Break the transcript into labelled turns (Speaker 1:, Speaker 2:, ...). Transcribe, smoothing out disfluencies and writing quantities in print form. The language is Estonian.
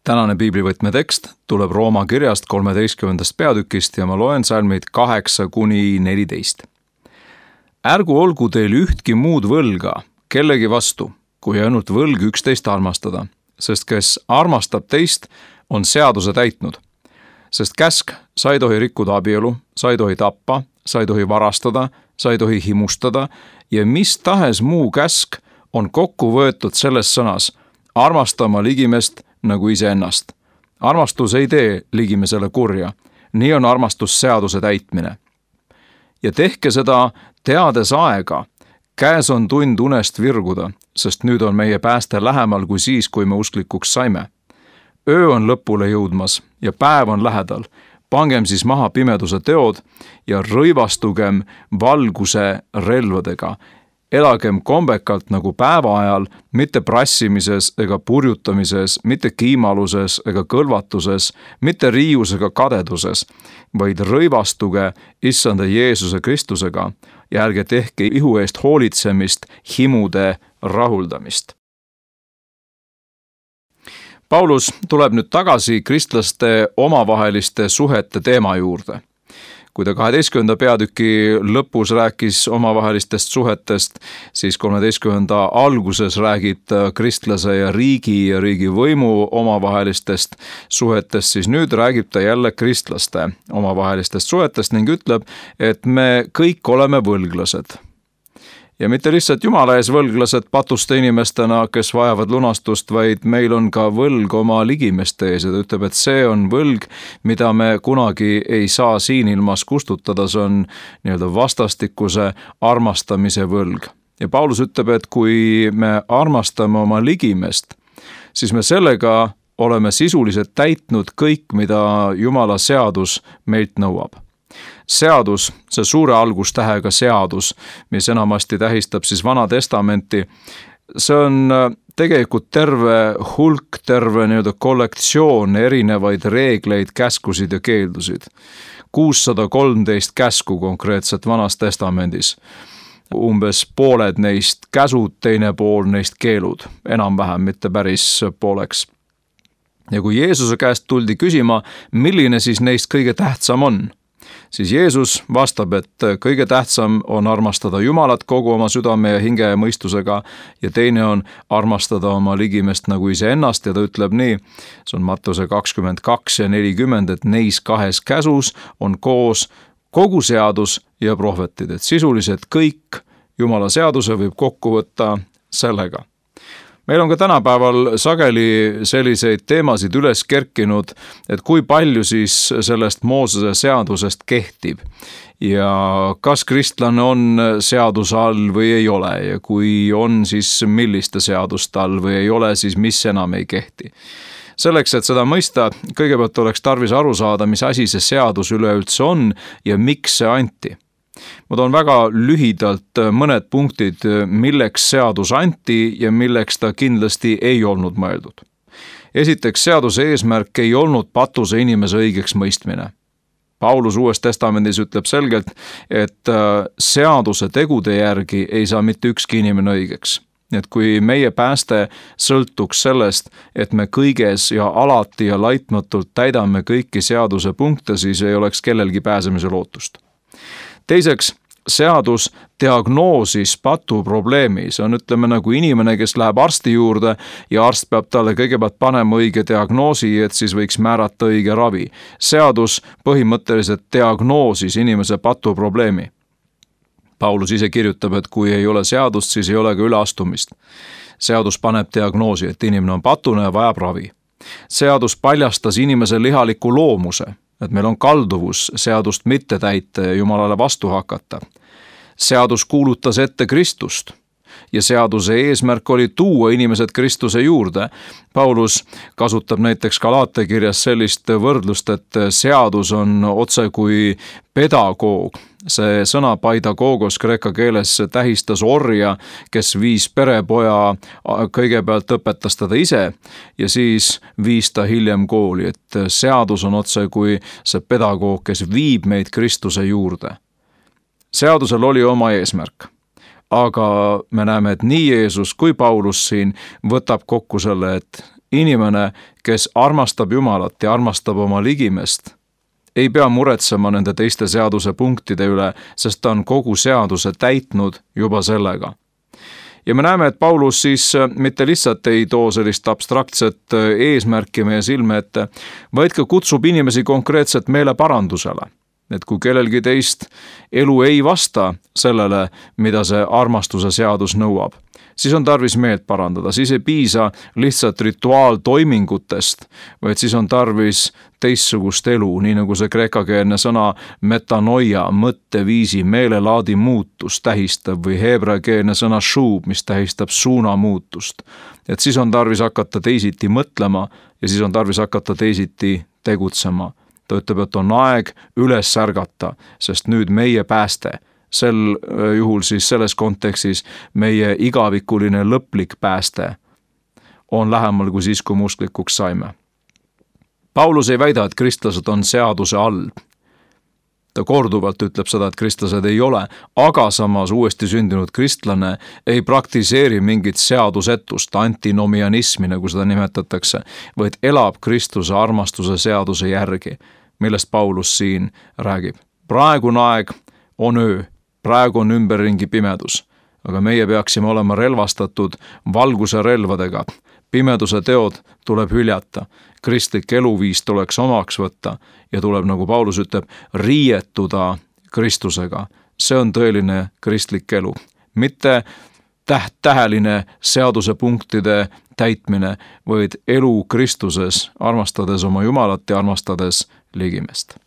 Speaker 1: Tänane piiblivõtme tekst tuleb Rooma kirjast 13. peatükist ja ma loen salmid 8-14. Ärgu olgu teil ühtki muud võlga kellegi vastu, kui ainult võlg üksteist armastada, sest kes armastab teist, on seaduse täitnud. Sest käsk, sa ei tohi rikkuda abielu, sa ei tohi tappa, sa ei tohi varastada, sa ei tohi himustada ja mis tahes muu käsk on kokku võetud selles sõnas, armastama ligimest nagu iseennast. Armastus ei tee ligimesele kurja, nii on armastus seaduse täitmine. Ja tehke seda teades aega, käes on tund unest virguda, sest nüüd on meie pääste lähemal kui siis, kui me usklikuks saime. Öö on lõpule jõudmas ja päev on lähedal. Pangem siis maha pimeduse teod ja rõivastugem valguse relvadega. Elagem kombekalt nagu päeva ajal, mitte prassimises ega purjutamises, mitte kiimaluses ega kõlvatuses, mitte riius ega kadeduses, vaid rõivastuge Issanda Jeesuse Kristusega ja ärge tehke ihu eest hoolitsemist, himude rahuldamist. Paulus tuleb nüüd tagasi kristlaste omavaheliste suhete teema juurde. Kui ta 12. peatüki lõpus rääkis omavahelistest suhetest, siis 13. alguses räägib kristlase ja riigivõimu omavahelistest suhetest, siis nüüd räägib ta jälle kristlaste omavahelistest suhetest ning ütleb, et me kõik oleme võlglased. Ja mitte lihtsalt Jumala ees võlglased patuste inimestena, kes vajavad lunastust, vaid meil on ka võlg oma ligimeste ees. Ja ta ütleb, et see on võlg, mida me kunagi ei saa siin ilmas kustutada, see on nii-öelda vastastikuse armastamise võlg. Ja Paulus ütleb, et kui me armastame oma ligimest, siis me sellega oleme sisuliselt täitnud kõik, mida Jumala seadus meilt nõuab. Seadus, see suure algustähega seadus, mis enamasti tähistab siis Vana Testamenti, see on tegelikult terve hulk, terve nii-öelda kollektsioon erinevaid reegleid, käskusid ja keeldusid. 613 käsku konkreetselt Vanas Testamendis. Umbes pooled neist käsud, teine pool neist keelud, enam-vähem, mitte päris pooleks. Ja kui Jeesuse käest tuldi küsima, milline siis neist kõige tähtsam on, siis Jeesus vastab, et kõige tähtsam on armastada Jumalat kogu oma südame ja hinge ja mõistusega ja teine on armastada oma ligimest nagu iseennast ja ta ütleb nii, see on Mattuse 22 ja 40, et neis kahes käsus on koos kogu seadus ja prohvetid, et sisuliselt kõik Jumala seaduse võib kokku võtta sellega. Meil on ka tänapäeval sageli selliseid teemasid üles kerkinud, et kui palju siis sellest Moosese seadusest kehtib ja kas kristlane on seaduse all või ei ole ja kui on, siis milliste seaduste all või ei ole, siis mis enam ei kehti. Selleks, et seda mõista, kõigepealt oleks tarvis aru saada, mis asi see seadus üleüldse on ja miks see anti. Ma toon väga lühidalt mõned punktid, milleks seadus anti ja milleks ta kindlasti ei olnud mõeldud. Esiteks, seaduse eesmärk ei olnud patuse inimese õigeks mõistmine. Paulus Uues Testamendis ütleb selgelt, et seaduse tegude järgi ei saa mitte ükski inimene õigeks. Et kui meie pääste sõltuks sellest, et me kõiges ja alati ja laitmatult täidame kõiki seaduse punkte, siis ei oleks kellelgi pääsemise lootust. Teiseks, seadus diagnoosis patu probleemi. See on, ütleme, nagu inimene, kes läheb arsti juurde ja arst peab talle kõigepealt panema õige diagnoosi, et siis võiks määrata õige ravi. Seadus põhimõtteliselt diagnoosis inimese patu probleemi. Paulus ise kirjutab, et kui ei ole seadust, siis ei ole ka üleastumist. Seadus paneb diagnoosi, et inimene on patune ja vajab ravi. Seadus paljastas inimese lihaliku loomuse, et meil on kalduvus seadust mitte täita ja Jumalale vastu hakata. Seadus kuulutas ette Kristust ja seaduse eesmärk oli tuua inimesed Kristuse juurde. Paulus kasutab näiteks Galaate kirjas sellist võrdlust, et seadus on otse kui pedagoog. See sõna paidagogos kreeka keeles tähistas orja, kes viis perepoja, kõigepealt õpetas teda ise ja siis viis ta hiljem kooli, et seadus on otse kui see pedagoog, kes viib meid Kristuse juurde. Seadusel oli oma eesmärk, aga me näeme, et nii Jeesus kui Paulus siin võtab kokku selle, et inimene, kes armastab Jumalat ja armastab oma ligimest, ei pea muretsema nende teiste seaduse punktide üle, sest ta on kogu seaduse täitnud juba sellega. Ja me näeme, et Paulus siis mitte lihtsalt ei too sellist abstraktset eesmärki meie silme ette, vaid ka kutsub inimesi konkreetselt meeleparandusele. Et kui kellelgi teist elu ei vasta sellele, mida see armastuse seadus nõuab, siis on tarvis meelt parandada, siis ei piisa lihtsalt rituaaltoimingutest, vaid siis on tarvis teistsugust elu, nii nagu see kreekakeelne sõna metanoia, mõtteviisi, meelelaadi muutust tähistab või heebreakeelne sõna shub, mis tähistab suunamuutust. Et siis on tarvis hakata teisiti mõtlema ja siis on tarvis hakata teisiti tegutsema. Ta ütleb, et on aeg üles ärgata, sest nüüd meie pääste, sel juhul siis selles kontekstis meie igavikuline lõplik pääste on lähemal kui siis, kui me usklikuks saime. Paulus ei väida, et kristlased on seaduse all. Ta korduvalt ütleb seda, et kristlased ei ole, aga samas uuesti sündinud kristlane ei praktiseeri mingit seadusetust, antinomianismi, nagu seda nimetatakse, vaid elab Kristuse armastuse seaduse järgi, millest Paulus siin räägib. Praegune aeg on öö, praegu on ümberringi pimedus, aga meie peaksime olema relvastatud valguse relvadega. Pimeduse teod tuleb hüljata, kristlik eluviis tuleks omaks võtta ja tuleb, nagu Paulus ütleb, riietuda Kristusega. See on tõeline kristlik elu, mitte tähteline seaduse punktide täitmine, vaid elu Kristuses, armastades oma Jumalat ja armastades ligimest.